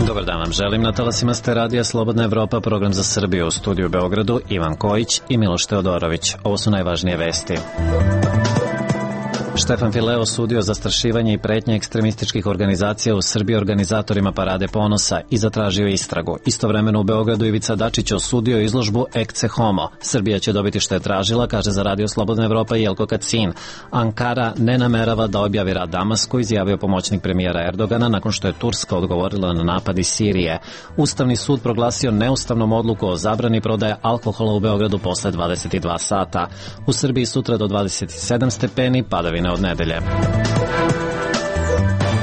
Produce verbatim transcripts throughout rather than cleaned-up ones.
Dobar dan vam želim, na talasima ste radija Slobodna Evropa, program za Srbiju, u studiju u Beogradu Ivan Kojić i Miloš Teodorović. Ovo su najvažnije vesti. Štefan File osudio zastrašivanje i pretnje ekstremističkih organizacija u Srbiji organizatorima Parade ponosa i zatražio istragu. Istovremeno u Beogradu Ivica Dačić osudio izložbu Ecce Homo. Srbija će dobiti što je tražila, kaže za radio Slobodna Evropa Jelko Kacin. Ankara ne namerava da objavi rad Damasku, izjavio pomoćnik premijera Erdogana nakon što je Turska odgovorila na napad iz Sirije. Ustavni sud proglasio neustavnom odluku o zabrani prodaje alkohola u Beogradu posle dvadeset dva sata. U Srbiji sutra do dvadeset sedam stepeni, padavine od nedelje.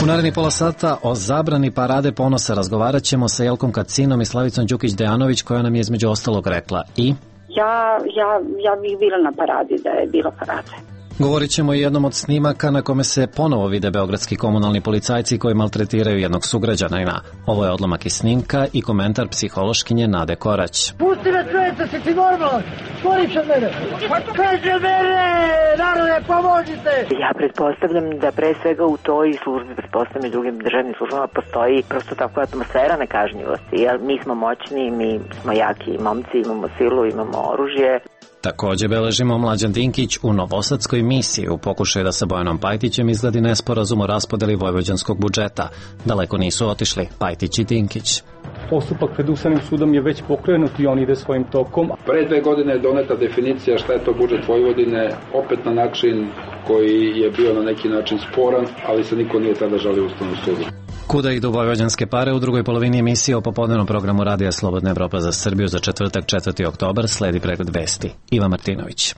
U naredni pola sata o zabrani Parade ponosa razgovarat ćemo sa Jelkom Kacinom i Slavicom Đukić-Dejanović, koja nam je između ostalog rekla i... Ja, ja, ja bih bila na paradi da je bilo parade. Govorit ćemo i jednom od snimaka na kome se ponovo vide beogradski komunalni policajci koji maltretiraju jednog sugrađanina. Ovo je odlomak iz snimka i komentar psihološkinje Nade Korać. Pusti me čovječe, si ti normalan? Skoriš od mene! Peđe mene! Narode, pomozite! Ja pretpostavljam da pre svega u toj službi, pretpostavljam i drugim državnim službama, postoji prosto takva atmosfera nekažnjivosti. Jer mi smo moćni, mi smo jaki momci, imamo silu, imamo oružje. Također beležimo Mlađan Dinkić u novosadskoj misiji u pokušaju da sa Bojanom Pajtićem izgledi nesporazum o raspodeli vojvođanskog budžeta. Daleko nisu otišli Pajtić i Dinkić. Postupak pred Ustavnim sudom je već pokrenut i on ide svojim tokom. Pre dve godine je doneta definicija šta je to budžet Vojvodine, opet na način koji je bio na neki način sporan, ali se niko nije tada žalio Ustavnom sudu. Kuda idu vojvođanske pare? U drugoj polovini emisije o popodnevnom programu radija Slobodna Evropa za Srbiju za četvrtak četvrti oktobar sledi pregled vesti. Ivan Martinović.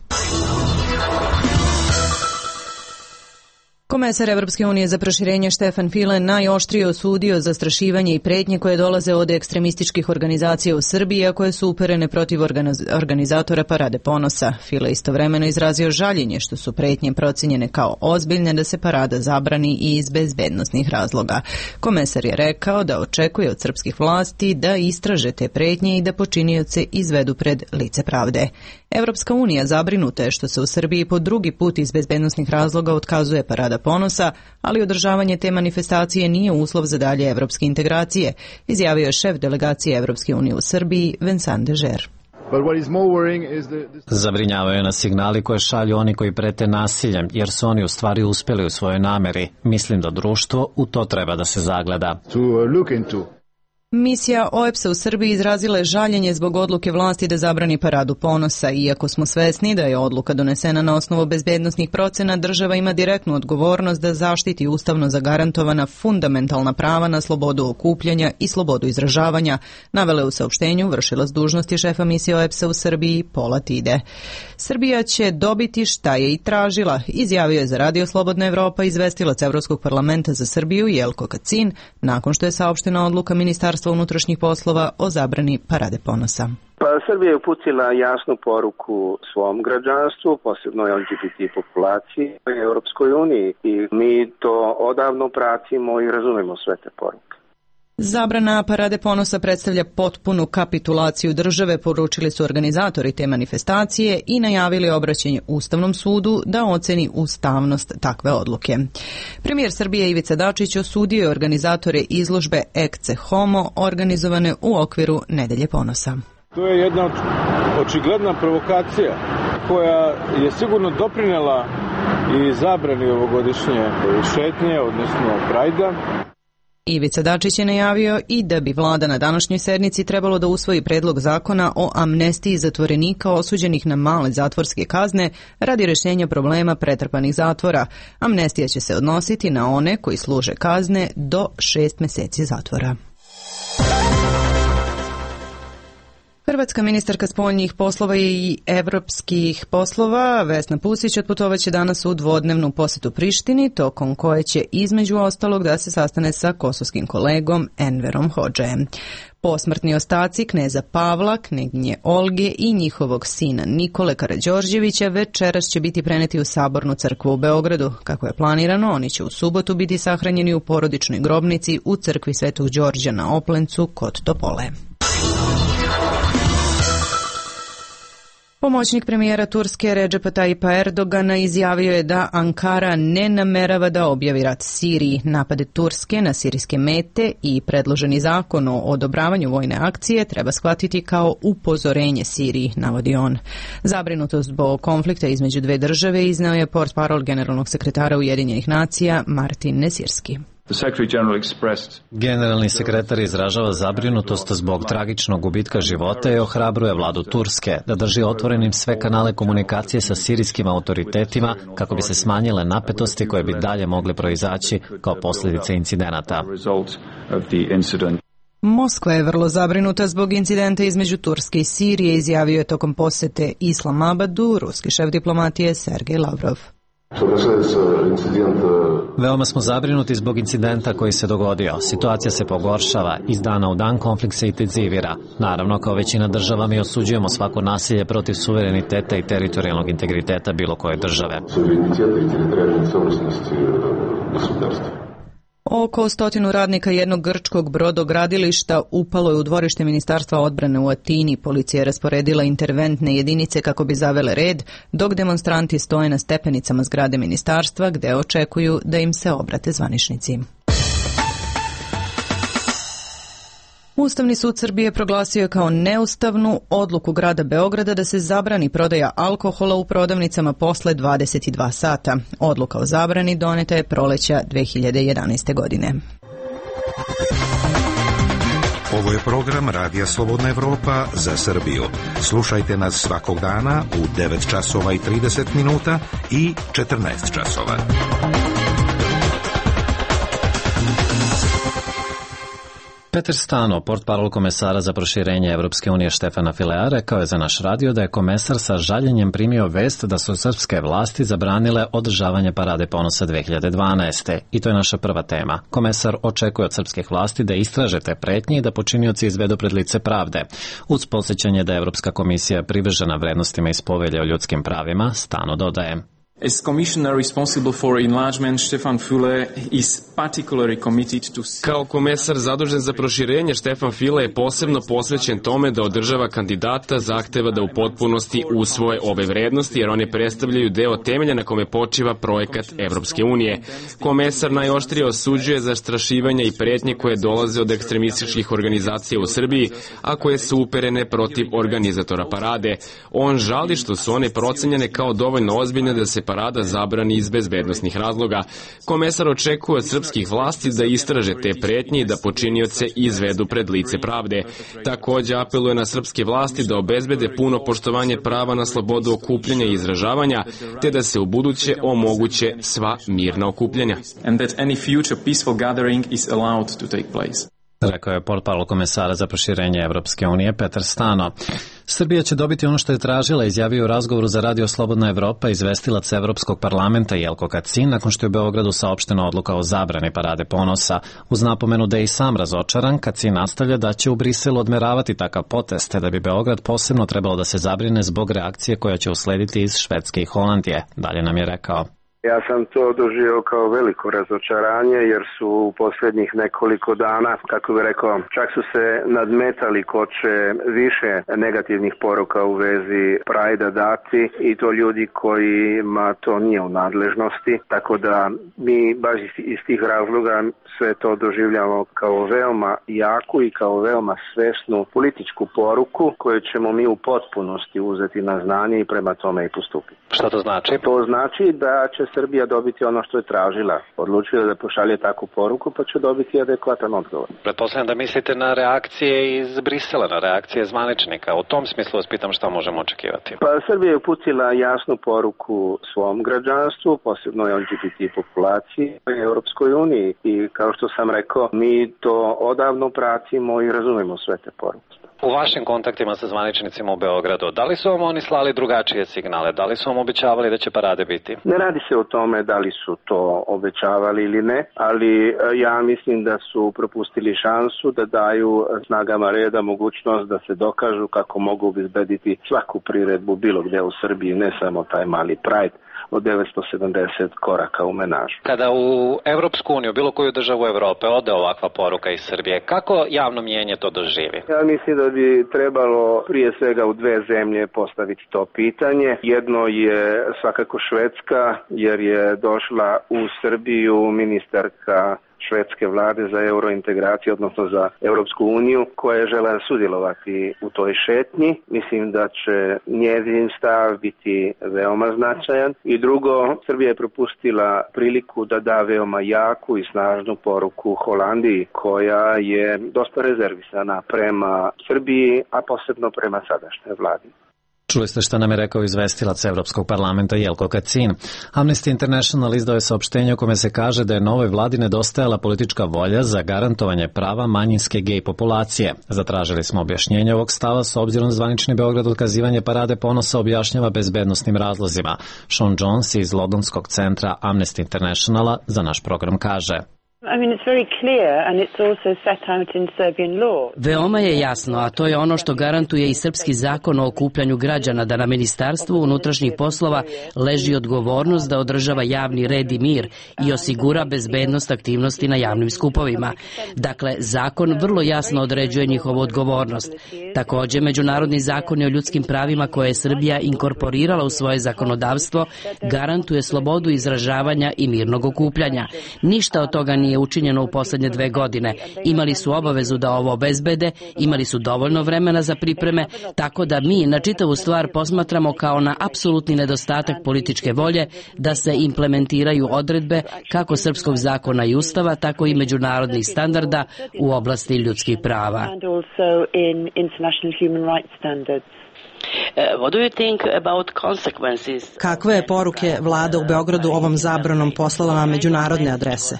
Komesar Evropske unije za proširenje Štefan File najoštrije osudio zastrašivanje i pretnje koje dolaze od ekstremističkih organizacija u Srbiji, a koje su uperene protiv organizatora Parade ponosa. File istovremeno izrazio žaljenje što su pretnje procenjene kao ozbiljne da se parada zabrani i iz bezbednosnih razloga. Komesar je rekao da očekuje od srpskih vlasti da istraže te pretnje i da počinioce izvedu pred lice pravde. Evropska unija zabrinuta je što se u Srbiji po drugi put iz bezbednosnih razloga otkazuje Parada ponosa, ali održavanje te manifestacije nije uslov za dalje evropske integracije, izjavio je šef delegacije Evropske unije u Srbiji, Vincent Dežer. Zabrinjavaju nas signali koje šalju oni koji prete nasiljem, jer su oni u stvari uspeli u svojoj nameri. Mislim da društvo u to treba da se zagleda. Misija O E P S-a u Srbiji izrazila je žaljenje zbog odluke vlasti da zabrani Paradu ponosa. Iako smo svesni da je odluka donesena na osnovu bezbednosnih procena, država ima direktnu odgovornost da zaštiti ustavno zagarantovana fundamentalna prava na slobodu okupljanja i slobodu izražavanja, navele u saopštenju vršilac dužnosti šefa misije O E P S-a u Srbiji Pola Tide. Srbija će dobiti šta je i tražila, izjavio je za radio Slobodna Evropa izvestilac Evropskog parlamenta za Srbiju Jelko Kacin, nakon što je saopštena odluka Ministarstva unutrašnjih poslova o zabrani Parade ponosa. Pa Srbija je uputila jasnu poruku svom građanstvu, posebno L G B T populaciji u Europskoj uniji, i mi to odavno pratimo i razumemo sve te poruke. Zabrana Parade ponosa predstavlja potpunu kapitulaciju države, poručili su organizatori te manifestacije i najavili obraćanje Ustavnom sudu da oceni ustavnost takve odluke. Premijer Srbije Ivica Dačić osudio je organizatore izložbe Ecce Homo organizovane u okviru Nedelje ponosa. To je jedna očigledna provokacija koja je sigurno doprinela i zabrani ovogodišnje šetnje, odnosno Prajda. Ivica Dačić je najavio i da bi vlada na današnjoj sednici trebalo da usvoji predlog zakona o amnestiji zatvorenika osuđenih na male zatvorske kazne radi rješenja problema pretrpanih zatvora. Amnestija će se odnositi na one koji služe kazne do šest mjeseci zatvora. Hrvatska ministarka spoljnih poslova i evropskih poslova Vesna Pusić otputovaće danas u dvodnevnu posjetu Prištini, tokom koje će između ostalog da se sastane sa kosovskim kolegom Enverom Hodžajem. Posmrtni ostaci kneza Pavla, kneginje Olge i njihovog sina Nikole Karađorđevića večeras će biti preneti u Sabornu crkvu u Beogradu. Kako je planirano, oni će u subotu biti sahranjeni u porodičnoj grobnici u crkvi Svetog Đorđa na Oplencu kod Topole. Pomoćnik premijera Turske Redžepa Tajipa Erdogana izjavio je da Ankara ne namerava da objavi rat Siriji. Napade Turske na sirijske mete i predloženi zakon o odobravanju vojne akcije treba shvatiti kao upozorenje Siriji, navodi on. Zabrinutost zbog konflikta između dve države izneo je portparol generalnog sekretara Ujedinjenih nacija Martin Nesirski. Generalni sekretar izražava zabrinutost zbog tragičnog gubitka života i ohrabruje vladu Turske da drži otvorenim sve kanale komunikacije sa sirijskim autoritetima kako bi se smanjile napetosti koje bi dalje mogle proizaći kao posljedice incidenata. Moskva je vrlo zabrinuta zbog incidenta između Turske i Sirije, izjavio je tokom posete Islamabadu ruski šef diplomatije Sergej Lavrov. Veoma smo zabrinuti zbog incidenta koji se dogodio. Situacija se pogoršava, iz dana u dan konflikt se intenzivira. Naravno, kao većina država mi osuđujemo svako nasilje protiv suvereniteta i teritorijalnog integriteta bilo koje države. Oko stotinu radnika jednog grčkog brodogradilišta upalo je u dvorište Ministarstva odbrane u Atini. Policija je rasporedila interventne jedinice kako bi zavele red, dok demonstranti stoje na stepenicama zgrade ministarstva gde očekuju da im se obrate zvaničnici. Ustavni sud Srbije proglasio je kao neustavnu odluku grada Beograda da se zabrani prodaja alkohola u prodavnicama posle dvadeset dva sata. Odluka o zabrani doneta je proleća dve hiljade jedanaeste. godine. Ovo je program Radija Slobodna Evropa za Srbiju. Slušajte nas svakog dana u devet časova i trideset minuta i četrnaest časova. Peter Stano, portparol komesara za proširenje Evropske unije Štefana Filea, rekao je za naš radio da je komesar sa žaljenjem primio vest da su srpske vlasti zabranile održavanje Parade ponosa dve hiljade dvanaeste. I to je naša prva tema. Komesar očekuje od srpskih vlasti da istraže te pretnje i da počinioci izvedu pred lice pravde. Uz podsjećanje da je Evropska komisija privržena vrednostima iz Povelje o ljudskim pravima, Stano dodaje. As Commissioner responsible for enlargement, Stefan Füle is particularly committed to... Kao komesar zadužen za proširenje, Stefan Füle je posebno posvećen tome da održava kandidata zahteva da u potpunosti usvoje ove vrednosti, jer one predstavljaju deo temelja na kome počiva projekat Evropske unije. Komesar najoštrije osuđuje zastrašivanja i pretnje koje dolaze od ekstremističkih organizacija u Srbiji, a koje su uperene protiv organizatora parade. On žali što su one procenjene kao dovoljno ozbiljne da se parada zabrani iz bezbednosnih razloga. Komesar očekuje od srpskih vlasti da istraže te pretnje i da počinioce izvedu pred lice pravde. Takođe apeluje na srpske vlasti da obezbede puno poštovanje prava na slobodu okupljanja i izražavanja, te da se ubuduće omoguće sva mirna okupljanja. And that any future peaceful gathering is allowed to take place. Rekao je portparol komesara za proširenje Evropske unije Petar Stano. Srbija će dobiti ono što je tražila, izjavio u razgovoru za Radio Slobodna Evropa izvestilac Evropskog parlamenta Jelko Kacin nakon što je u Beogradu saopštena odluka o zabrani Parade ponosa. Uz napomenu da je i sam razočaran, Kacin nastavlja da će u Briselu odmeravati takav potez, te da bi Beograd posebno trebalo da se zabrine zbog reakcije koja će uslediti iz Švedske i Holandije. Dalje nam je rekao. Ja sam to doživio kao veliko razočaranje jer su u posljednjih nekoliko dana, kako bih rekao, čak su se nadmetali ko će više negativnih poruka u vezi Prajda dati i to ljudi kojima to nije u nadležnosti. Tako da mi baš iz tih razloga sve to doživljamo kao veoma jaku i kao veoma svesnu političku poruku koju ćemo mi u potpunosti uzeti na znanje i prema tome i postupiti. Šta to znači? To znači da će Srbija dobiti ono što je tražila. Odlučila da pošalje takvu poruku, pa će dobiti adekvatan odgovor. Pretpostavljam da mislite na reakcije iz Brisela, na reakcije zvaničnika. U tom smislu vas pitam šta možemo očekivati. Pa Srbija je uputila jasnu poruku svom građanstvu, posebno L G B T populaciji u Europskoj uniji. I kao što sam rekao, mi to odavno pratimo i razumemo sve te poruke. U vašim kontaktima sa zvaničnicima u Beogradu, da li su vam oni slali drugačije signale? Da li su vam obećavali da će parade biti? Ne radi se o tome da li su to obećavali ili ne, ali ja mislim da su propustili šansu da daju snagama reda mogućnost da se dokažu kako mogu obezbediti svaku priredbu bilo gde u Srbiji, ne samo taj mali Pride, od devetsto sedamdeset koraka u menažu. Kada u Evropsku uniju, bilo koju državu Evrope, ode ovakva poruka iz Srbije, kako javno mnijenje to doživi? Ja mislim da bi trebalo prije svega u dve zemlje postaviti to pitanje. Jedno je svakako Švedska, jer je došla u Srbiju ministarka švedske vlade za eurointegraciju, odnosno za Europsku uniju, koja je žela sudjelovati u toj šetnji. Mislim da će njezin stav biti veoma značajan. I drugo, Srbija je propustila priliku da da veoma jaku i snažnu poruku Holandiji, koja je dosta rezervisana prema Srbiji, a posebno prema sadašnjoj vladi. Čuli ste šta nam je rekao izvestilac Evropskog parlamenta Jelko Kacin. Amnesty International izdao je saopštenje u kome se kaže da je novoj vladi nedostajala politička volja za garantovanje prava manjinske gej populacije. Zatražili smo objašnjenje ovog stava s obzirom da zvanični Beograd otkazivanje Parade ponosa objašnjava bezbednosnim razlozima. Sean Jones iz Londonskog centra Amnesty Internationala za naš program kaže: I mean, it's very clear and it's also set out in Serbian law. Veoma je jasno, a to je ono što garantuje i srpski zakon o okupljanju građana, da na Ministarstvu unutrašnjih poslova leži odgovornost da održava javni red i mir i osigura bezbednost aktivnosti na javnim skupovima. Dakle, zakon vrlo jasno određuje njihovu odgovornost. Takođe, međunarodni zakoni o ljudskim pravima koje je Srbija inkorporirala u svoje zakonodavstvo garantuje slobodu izražavanja i mirnog okupljanja. Ništa od toga nije učinjeno u poslednje dve godine. Imali su obavezu da ovo obezbede, imali su dovoljno vremena za pripreme, tako da mi na čitavu stvar posmatramo kao na apsolutni nedostatak političke volje da se implementiraju odredbe kako srpskog zakona i ustava, tako i međunarodnih standarda u oblasti ljudskih prava. Kakve je poruke vlada u Beogradu ovom zabranom poslala na međunarodne adrese?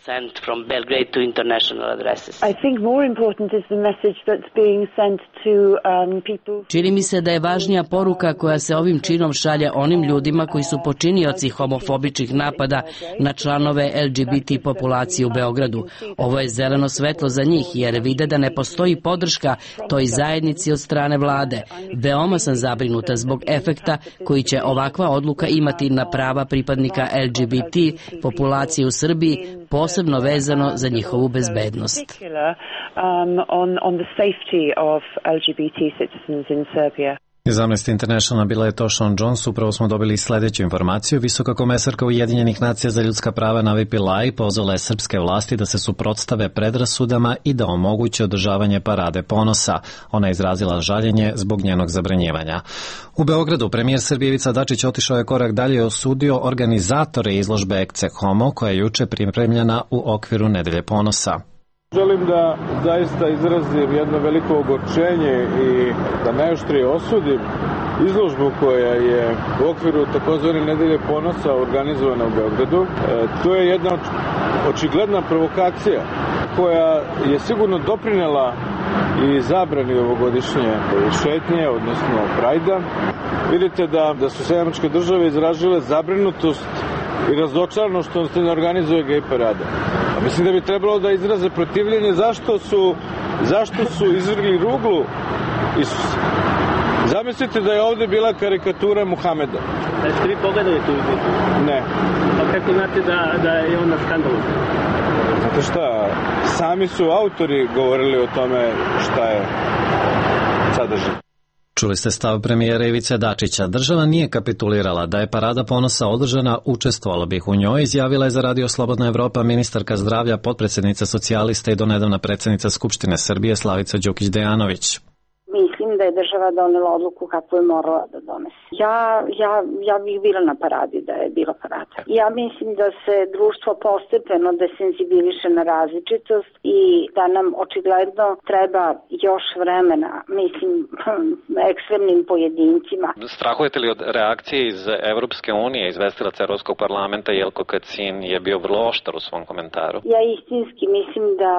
Čini mi se da je važnija poruka koja se ovim činom šalje onim ljudima koji su počinioci homofobičnih napada na članove L G B T populacije u Beogradu. Ovo je zeleno svetlo za njih jer vide da ne postoji podrška toj zajednici od strane vlade. Veoma sam zabrinuta zbog efekta koji će ovakva odluka imati na prava pripadnika L G B T populacije u Srbiji, posebno vezano za njihovu bezbednost. Iz Amnesty International bila je to Sean Jones. Upravo smo dobili sledeću informaciju. Visoka komesarka Ujedinjenih nacija za ljudska prava Navi Pillay pozvala je srpske vlasti da se suprotstave predrasudama i da omoguće održavanje Parade ponosa. Ona je izrazila žaljenje zbog njenog zabranjivanja. U Beogradu premijer Srbije Ivica Dačić otišao je korak dalje i osudio organizatore izložbe Ecce Homo koja je juče pripremljena u okviru Nedelje ponosa. Želim da zaista izrazim jedno veliko ogorčenje i da najoštrije osudim izložbu koja je u okviru takozvane Nedelje ponosa organizovana u Beogradu. E, to je jedna očigledna provokacija koja je sigurno doprinela i zabrani ovogodišnje šetnje, odnosno Prajda. Vidite da, da su Sjedinjene Američke Države izražile zabrinutost i razočarano što se ne organizuje gej parada. A mislim da bi trebalo da izraze protivljenje zašto su, zašto su izvrgli ruglu Isusa. Zamislite da je ovde bila karikatura Muhameda. Da ste vi pogledali tu izliku? Ne. Pa kako znate da, da je ona skandalozna? Znate šta, sami su autori govorili o tome šta je sadržaj. Čuli ste stav premijera Ivice Dačića. Država nije kapitulirala. Da je Parada ponosa održana, učestvovala bih u njoj, izjavila je za Radio Slobodna Evropa ministarka zdravlja, potpredsednica socijalista i donedavna predsednica Skupštine Srbije Slavica Đukić-Dejanović. Mislim da je država donela odluku kako je morala da donese. Ja, ja, ja bih bila na paradi da je bila parada. Ja mislim da se društvo postepeno desenzibiliše na različitost i da nam očigledno treba još vremena, mislim, ekstremnim pojedincima. Strahujete li od reakcije iz Evropske unije? Izvestilac Evropskog parlamenta Jelko Kacin je bio vrlo oštar u svom komentaru. Ja istinski mislim da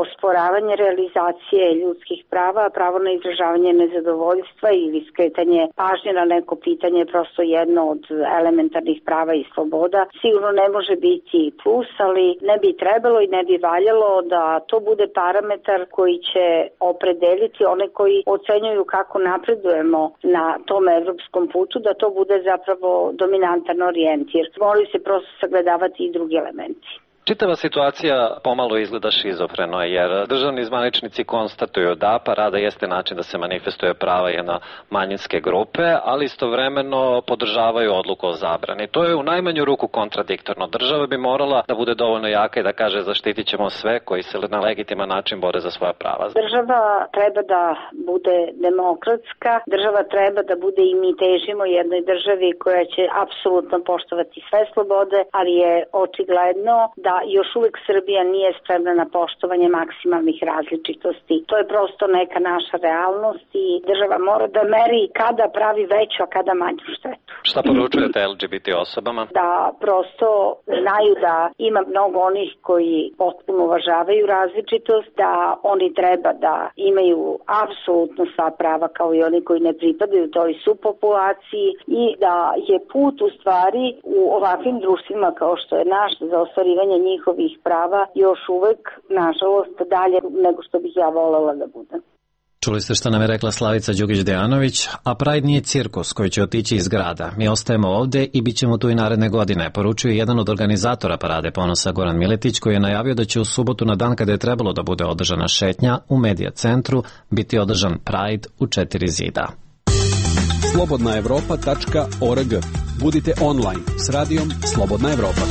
osporavanje realizacije ljudskih prava, pravo na izražavanje nezadovoljstva ili skretanje pažnje na neko pitanje je prosto jedno od elementarnih prava i sloboda. Sigurno ne može biti plus, ali ne bi trebalo i ne bi valjalo da to bude parametar koji će opredeliti one koji ocenjuju kako napredujemo na tom evropskom putu, da to bude zapravo dominantan orijentir. Moraju se prosto sagledavati i drugi elementi. Čitava situacija pomalo izgleda šizofreno, jer državni zvaničnici konstatuju da parada jeste način da se manifestuje prava jedne manjinske grupe, ali istovremeno podržavaju odluku o zabrani. To je u najmanju ruku kontradiktorno. Država bi morala da bude dovoljno jaka i da kaže zaštitit ćemo sve koji se na legitiman način bore za svoja prava. Država treba da bude demokratska, država treba da bude i mi težimo jednoj državi koja će apsolutno poštovati sve slobode, ali je očigledno da da još uvek Srbija nije spremna na poštovanje maksimalnih različitosti. To je prosto neka naša realnost i država mora da meri kada pravi veću, a kada manju štetu. Šta poručujete el ge be te osobama? Da prosto znaju da ima mnogo onih koji potpuno uvažavaju različitost, da oni treba da imaju apsolutno sva prava kao i oni koji ne pripadaju toj subpopulaciji i da je put u stvari u ovakvim društvima kao što je naš za ostvarivanje njihovih prava još uvek, nažalost, dalje nego što bih ja volela da bude. Čuli ste što nam je rekla Slavica Đukić-Dejanović, a Pride nije cirkus koji će otići iz grada. Mi ostajemo ovde i bit ćemo tu i naredne godine, poručuje jedan od organizatora Parade ponosa Goran Miletić, koji je najavio da će u subotu na dan kada je trebalo da bude održana šetnja u Medija centru biti održan Pride u četiri zida. slobodna evropa tačka org. Budite online s radijom Slobodna Evropa.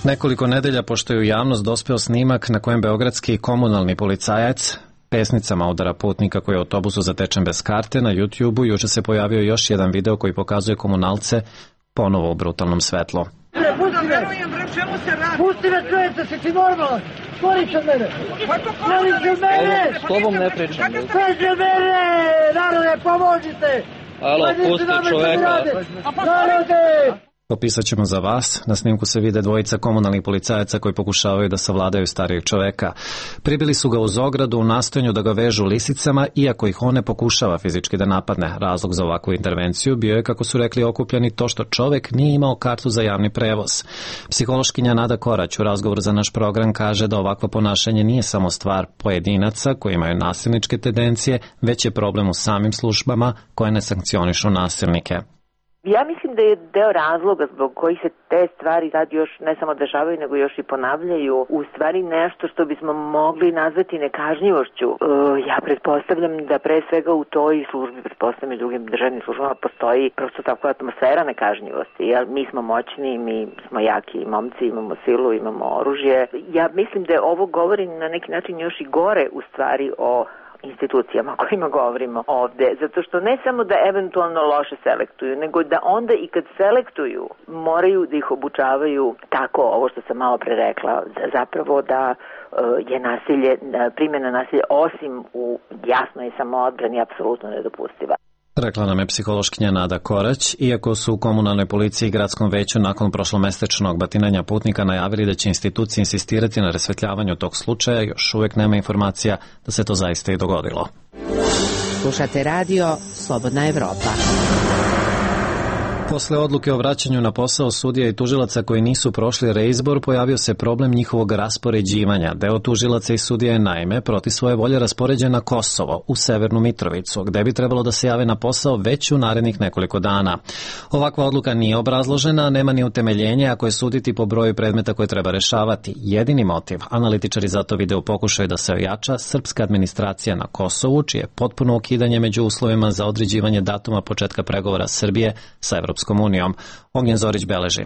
Nekoliko nedelja pošto je u javnost dospeo snimak na kojem beogradski komunalni policajac pesnicama udara putnika koji je u autobusu zatečen bez karte, na YouTubeu juče se pojavio još jedan video koji pokazuje komunalce ponovo u brutalnom svetlu. Pusti me! Pusti me, čovječe, si ti normalan? Skoriš od mene! Skoriš od mene! S tobom ne pričam. Skoriš od mene! Narode, pomožite! Alo, pusti čoveka! Narode! Opisat ćemo za vas. Na snimku se vide dvojica komunalnih policajaca koji pokušavaju da savladaju starijeg čoveka. Pribili su ga uz ogradu u nastojanju da ga vežu lisicama, iako ih on ne pokušava fizički da napadne. Razlog za ovakvu intervenciju bio je, kako su rekli okupljeni, to što čovek nije imao kartu za javni prevoz. Psihološkinja Nada Korać u razgovoru za naš program kaže da ovakvo ponašanje nije samo stvar pojedinaca koji imaju nasilničke tendencije, već je problem u samim službama koje ne sankcionišu nasilnike. Ja mislim da je deo razloga zbog kojih se te stvari sad još ne samo dešavaju, nego još i ponavljaju, u stvari nešto što bismo mogli nazvati nekažnjivošću. E, ja pretpostavljam da pre svega u toj službi, pretpostavljam i drugim državnim službama, postoji prosto takva atmosfera nekažnjivosti. Jer mi smo moćni, mi smo jaki momci, imamo silu, imamo oružje. Ja mislim da ovo govori na neki način još i gore u stvari o institucijama o kojima govorimo ovde, zato što ne samo da eventualno loše selektuju, nego da onda i kad selektuju moraju da ih obučavaju tako, ovo što sam malo pre rekla, zapravo da je nasilje, primjena nasilja osim u jasnoj samoodbrani apsolutno nedopustiva. Rekla nam je psihološkinja Nada Korać, iako su u komunalnoj policiji i gradskom veću nakon prošlomesečnog batinanja putnika najavili da će institucije insistirati na rasvetljavanju tog slučaja, još uvek nema informacija da se to zaista i dogodilo. Slušate radio Slobodna Evropa. Posle odluke o vraćanju na posao sudija i tužilaca koji nisu prošli reizbor, pojavio se problem njihovog raspoređivanja. Deo tužilaca i sudija je naime proti svoje volje raspoređen na Kosovo, u Severnu Mitrovicu, gde bi trebalo da se jave na posao već u narednih nekoliko dana. Ovakva odluka nije obrazložena, nema ni utemeljenje ako je suditi po broju predmeta koje treba rešavati. Jedini motiv, analitičari zato vide u pokušaju da se ojača srpska administracija na Kosovu, čije potpuno ukidanje među uslovima za određivanje datuma početka pregovora Srbije sa Evropskom unijom. Ognjen Zorić beleži.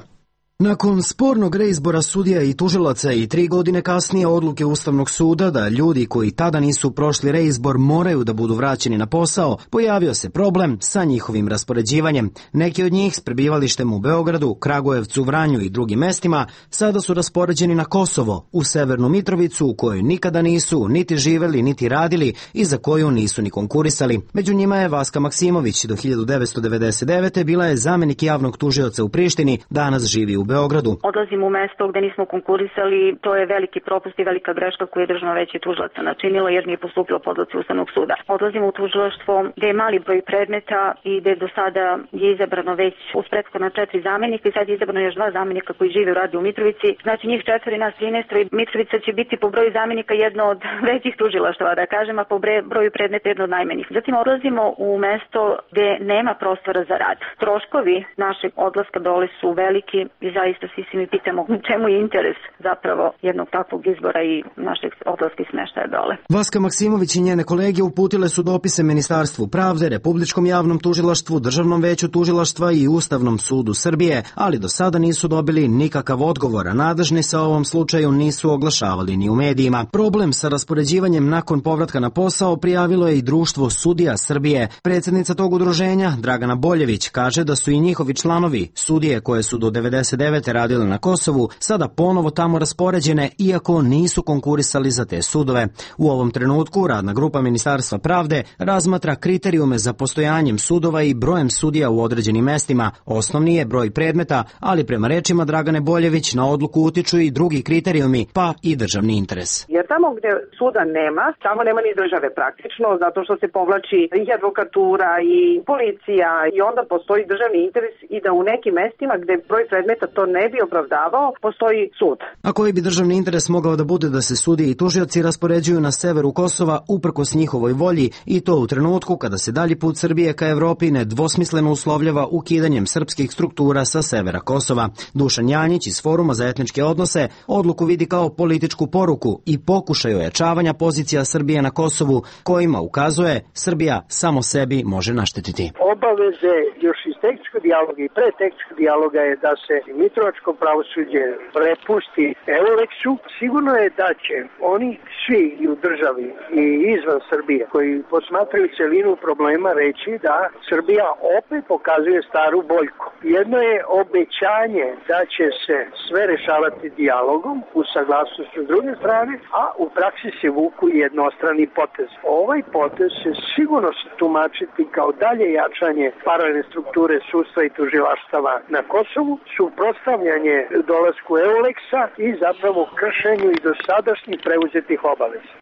Nakon spornog reizbora sudija i tužilaca i tri godine kasnije odluke Ustavnog suda da ljudi koji tada nisu prošli reizbor moraju da budu vraćeni na posao, pojavio se problem sa njihovim raspoređivanjem. Neki od njih s prebivalištem u Beogradu, Kragujevcu, Vranju i drugim mestima sada su raspoređeni na Kosovo, u Severnu Mitrovicu, u kojoj nikada nisu niti živeli niti radili i za koju nisu ni konkurisali. Među njima je Vaska Maksimović, do hiljadu devetsto devedeset devete bila je zamenik javnog tužioca u Prištini, danas živi u Beogradu. Odlazimo u mesto gde nismo konkurisali, to je veliki propust i velika greška koju je Državno veće tužilaca načinilo jer nije postupilo po odluci Ustavnog suda. Odlazimo u tužilaštvo gde je mali broj predmeta i gde do sada je izabrano već uz prethodna četiri zamenika i sad je izabrano još dva zamenika koji žive u radi u Mitrovici. Znači njih četvori, nas trinaest i Mitrovica će biti po broju zamenika jedno od većih tužilaštava, da kažem, a po broju predmeta jedno od najmanjih. Zatim odlazimo u mesto gde nema prostora za rad. Troškovi našeg odlaska dole su veliki i zaista svi se mi pitamo čemu je interes zapravo jednog takvog izbora i našeg odlaska i smeštaja dole. Vaska Maksimović i njene kolege uputile su dopise Ministarstvu pravde, Republičkom javnom tužilaštvu, Državnom veću tužilaštva i Ustavnom sudu Srbije, ali do sada nisu dobili nikakav odgovor, a nadležni sa ovom slučaju nisu oglašavali ni u medijima. Problem sa raspoređivanjem nakon povratka na posao prijavilo je i Društvo sudija Srbije. Predsjednica tog udruženja, Dragana Boljević, kaže da su i njihovi članovi, sudije koje su do devedeset devete radile na Kosovu, sada ponovo tamo raspoređene, iako nisu konkurisali za te sudove. U ovom trenutku radna grupa Ministarstva pravde razmatra kriterijume za postojanjem sudova i brojem sudija u određenim mestima. Osnovni je broj predmeta, ali prema rečima Dragane Boljević na odluku utiču i drugi kriterijumi, pa i državni interes. Jer tamo gde suda nema, tamo nema ni države praktično, zato što se povlači i advokatura i policija i onda postoji državni interes i da u nekim mestima gde broj predmeta to ne bi opravdavao, postoji sud. A koji bi državni interes mogao da bude da se sudije i tužioci raspoređuju na severu Kosova uprkos njihovoj volji i to u trenutku kada se dalji put Srbije ka Evropi nedvosmisleno uslovljava ukidanjem srpskih struktura sa severa Kosova. Dušan Janjić iz Foruma za etničke odnose odluku vidi kao političku poruku i pokušaj ojačavanja pozicija Srbije na Kosovu, kojima ukazuje Srbija samo sebi može naštetiti. Obaveze još iz tehničkog dijaloga i pre tehničkog dijaloga je da se mitrovačko pravosuđe prepusti Euleksu. Sigurno je da će oni svi i u državi i izvan Srbije koji posmatraju celinu problema reći da Srbija opet pokazuje staru boljku. Jedno je obećanje da će se sve rešavati dijalogom u saglasnošću s druge strane, a u praksi se vuku jednostrani potez. Ovaj potez će sigurno se tumačiti kao dalje jačanje paralelne strukture sudstva i tužilaštava na Kosovu, suprotstavljanje dolasku Euleksa i zapravo kršenju i dosadašnjih preuzetih obaveza.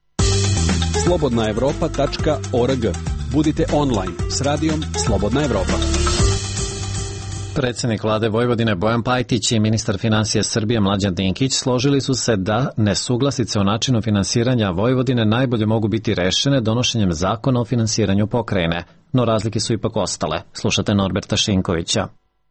slobodna evropa tačka org. Budite online s radijom Slobodna Evropa. Predsjednik vlade Vojvodine Bojan Pajtić i ministar finansija Srbije Mlađan Dinkić složili su se da nesuglasice o načinu finansiranja Vojvodine najbolje mogu biti rešene donošenjem zakona o finansiranju pokrajine, no razlike su ipak ostale. Slušate Norberta Šinkovića.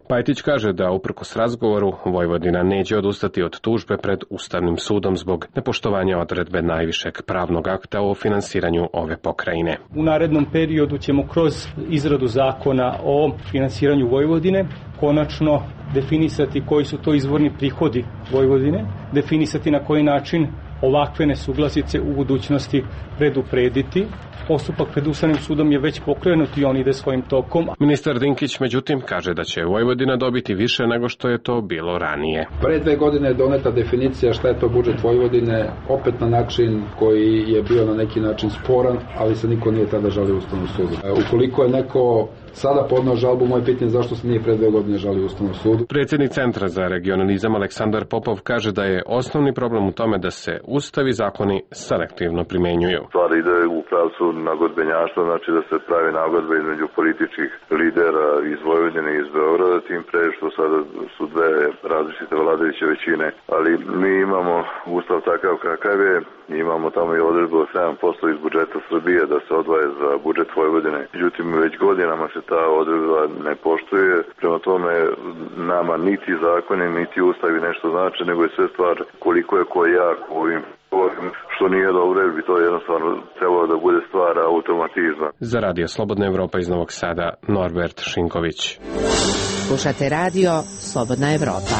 Pajtić kaže da uprkos razgovoru Vojvodina neće odustati od tužbe pred Ustavnim sudom zbog nepoštovanja odredbe najvišeg pravnog akta o finansiranju ove pokrajine. U narednom periodu ćemo kroz izradu zakona o finansiranju Vojvodine konačno definisati koji su to izvorni prihodi Vojvodine, definisati na koji način ovakve nesuglasice u budućnosti preduprediti. Postupak pred Ustavnim sudom je već pokrenut i on ide svojim tokom. Ministar Dinkić međutim kaže da će Vojvodina dobiti više nego što je to bilo ranije. Pre dve godine je doneta definicija šta je to budžet Vojvodine, opet na način koji je bio na neki način sporan, ali se niko nije tada žalio Ustavnom sudu. Ukoliko je neko sada podneo žalbu, moje pitanje zašto se nije pre dve godine žalio Ustavnom sudu. Predsjednik Centra za regionalizam Aleksandar Popov kaže da je osnovni problem u tome da se ustavi zakoni selektivno primenjuju. Stvar ide u pravcu nagodbenjaštva, znači da se pravi nagodba između političkih lidera iz Vojvodine i iz Beograda, tim pre što sada su dve različite vladajuće većine, ali mi imamo ustav takav kakav je, imamo tamo i odredbu od sedam posto iz budžeta Srbije da se odvaje za budžet Vojvodine. Međutim, već godinama se ta odredba ne poštuje, prema tome nama niti zakoni, niti ustavi nešto znači, nego je sve stvar koliko je ko jak u ovim što nije dobro, jer bi to jednostavno trebalo da bude stvar automatizma. Za Radio Slobodna Evropa iz Novog Sada, Norbert Šinković. Slušate radio Slobodna Evropa.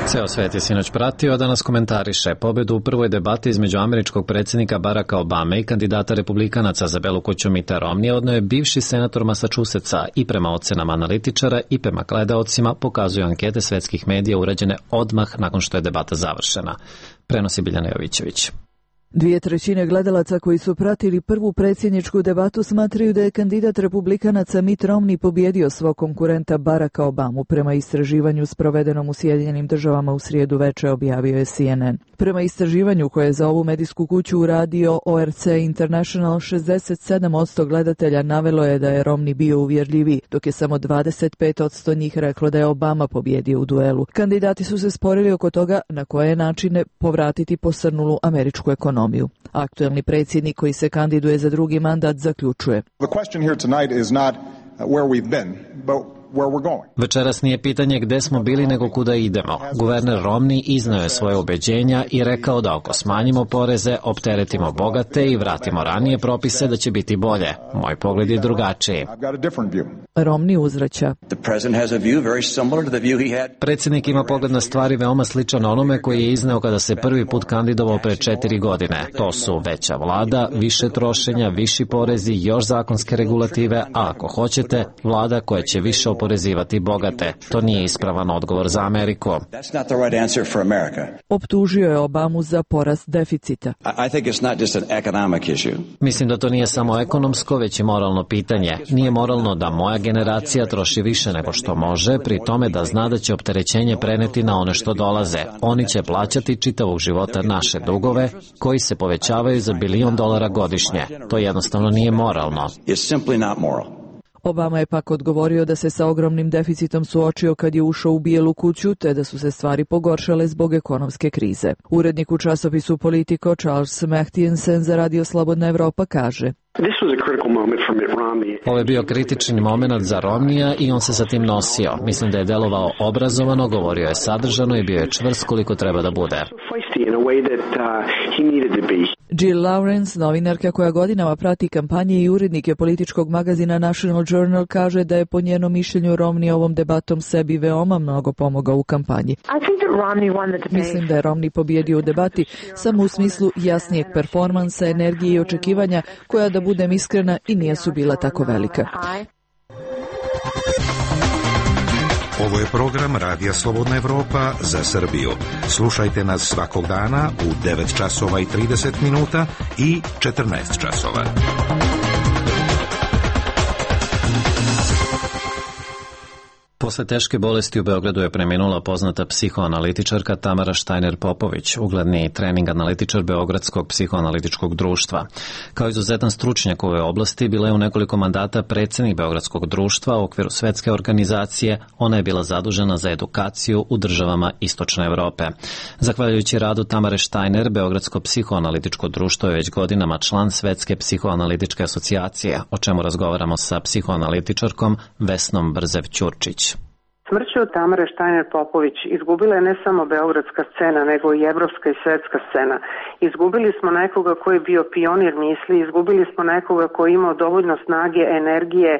Ceo svet je sinoć pratio, da nas komentariše pobedu u prvoj debati između američkog predsjednika Baracka Obame i kandidata republikanaca za Belu kuću Mitta Romney odno je bivši senator Massachusettsa i prema ocenama analitičara i prema gledaocima pokazuju ankete svetskih medija urađene odmah nakon što je debata završena. Prenosi Biljana Jovićević. Dvije trećine gledalaca koji su pratili prvu predsjedničku debatu smatraju da je kandidat republikanaca Mitt Romney pobjedio svog konkurenta Baracka Obamu, prema istraživanju sprovedenom u Sjedinjenim državama u srijedu veče, objavio je C N N. Prema istraživanju koje je za ovu medijsku kuću uradio O R C International, šezdeset sedam posto gledatelja navelo je da je Romney bio uvjerljiviji, dok je samo dvadeset pet posto njih reklo da je Obama pobjedio u duelu. Kandidati su se sporili oko toga na koje načine povratiti posrnulu američku ekonomiju. Aktuelni predsjednik koji se kandiduje za drugi mandat zaključuje: Večeras nije pitanje gde smo bili nego kuda idemo. Guverner Romney izneo je svoje ubeđenja i rekao da ako smanjimo poreze, opteretimo bogate i vratimo ranije propise, da će biti bolje. Moj pogled je drugačiji. Romney uzvraća: Predsjednik ima pogled na stvari veoma sličan onome koji je izneo kada se prvi put kandidovao pre četiri godine. To su veća vlada, više trošenja, viši porezi, još zakonske regulative, a ako hoćete, vlada koja će više oporezivati bogate. To nije ispravan odgovor za Ameriku. Optužio je Obamu za porast deficita. Mislim da to nije samo ekonomsko, već i moralno pitanje. Nije moralno da moja generacija troši više nego što može, pri tome da zna da će opterećenje preneti na one što dolaze. Oni će plaćati čitavog života naše dugove, koji se povećavaju za bilion dolara godišnje. To jednostavno nije moralno. Obama je pak odgovorio da se sa ogromnim deficitom suočio kad je ušao u Bijelu kuću, te da su se stvari pogoršale zbog ekonomske krize. Urednik u časopisu Politico Charles Mehtiensen za Radio Slobodna Evropa kaže: Ovo je bio kritični moment za Romneya i on se sa tim nosio. Mislim da je delovao obrazovano, govorio je sadržano i bio je čvrst koliko treba da bude. Jill Lawrence, novinarka koja godinama prati kampanje i urednike političkog magazina National Journal, kaže da je po njenom mišljenju Romney ovom debatom sebi veoma mnogo pomogao u kampanji. Mislim da je Romney pobjedio u debati samo u smislu jasnijeg performansa, energije i očekivanja koja, da budem iskrena, i nisu bila tako velika. Ovo je program Radija Slobodna Evropa za Srbiju. Slušajte nas svakog dana u devet časova i trideset minuta i četrnaest časova. Posle teške bolesti u Beogradu je preminula poznata psihoanalitičarka Tamara Štajner-Popović, ugledni trening analitičar Beogradskog psihoanalitičkog društva. Kao izuzetan stručnjak u ove oblasti, bila je u nekoliko mandata predsjednik Beogradskog društva u okviru svetske organizacije. Ona je bila zadužena za edukaciju u državama Istočne Evrope. Zahvaljujući radu Tamare Štajner, Beogradsko psihoanalitičko društvo je već godinama član Svetske psihoanalitičke asocijacije, o čemu razgovaramo sa psihoanalitičarkom Vesnom Brzev-Ćurčić. Smrću Tamare Štajner-Popović izgubila je ne samo beogradska scena, nego i evropska i svetska scena. Izgubili smo nekoga koji je bio pionir misli, izgubili smo nekoga koji je imao dovoljno snage, energije,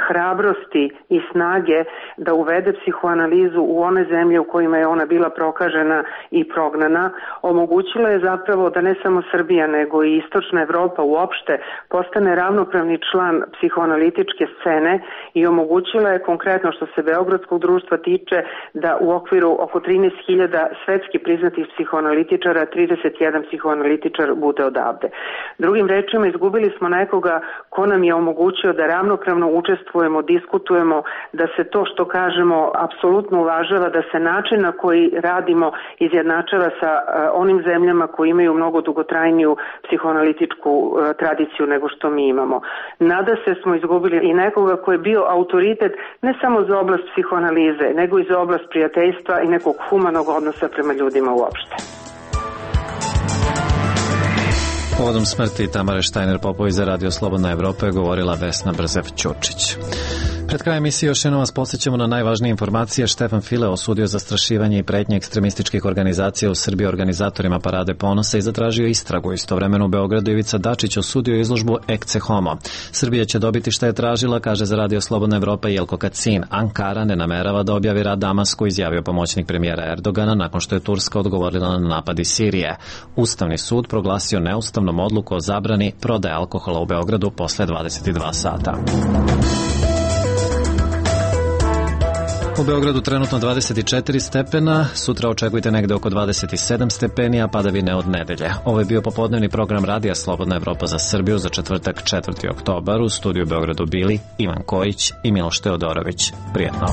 hrabrosti i snage da uvede psihoanalizu u one zemlje u kojima je ona bila prokažena i prognana. Omogućila je zapravo da ne samo Srbija, nego i Istočna Evropa uopšte postane ravnopravni član psihoanalitičke scene i omogućila je konkretno, što se Beogradskog društva tiče, da u okviru oko trinaest hiljada svetski priznatih psihoanalitičara trideset jedan psihoanalitičar bude odavde. Drugim rečima, izgubili smo nekoga ko nam je omogućio da ravnopravno učestvujemo, diskutujemo, da se to što kažemo apsolutno uvažava, da se način na koji radimo izjednačava sa uh, onim zemljama koji imaju mnogo dugotrajniju psihoanalitičku uh, tradiciju nego što mi imamo. Nada se smo izgubili i nekoga ko je bio autoritet ne samo za oblast psihoanalize, nego i za oblast prijateljstva i nekog humanog odnosa prema ljudima uopšte. Povodom smrti Tamare Štajner-Popović za Radio Slobodna Evropa je govorila Vesna Brzev-Ćurčić. Pred krajem emisije još jednom vas podsjećamo na najvažnije informacije. Štefan File osudio zastrašivanje i pretnje ekstremističkih organizacija u Srbiji organizatorima Parade ponosa i zatražio istragu. Istovremeno u Beogradu Ivica Dačić osudio izložbu Ecce Homo. Srbija će dobiti šta je tražila, kaže za Radio Slobodna Evropa Jelko Kacin. Ankara ne namerava da objavi rad Damasku, izjavio pomoćnik premijera Erdogana nakon što je Turska odgovorila na napad iz Sirije. Ustavni sud proglasio neustavnom odluku o zabrani prodaje alkohola u Beogradu posle dvadeset dva sata. U Beogradu trenutno dvadeset četiri stepena, sutra očekujte negde oko dvadeset sedam stepeni, a padavine od nedelje. Ovo je bio popodnevni program Radija Slobodna Evropa za Srbiju za četvrtak četvrti oktobar. U studiju Beogradu bili Ivan Kojić i Miloš Teodorović. Prijetno.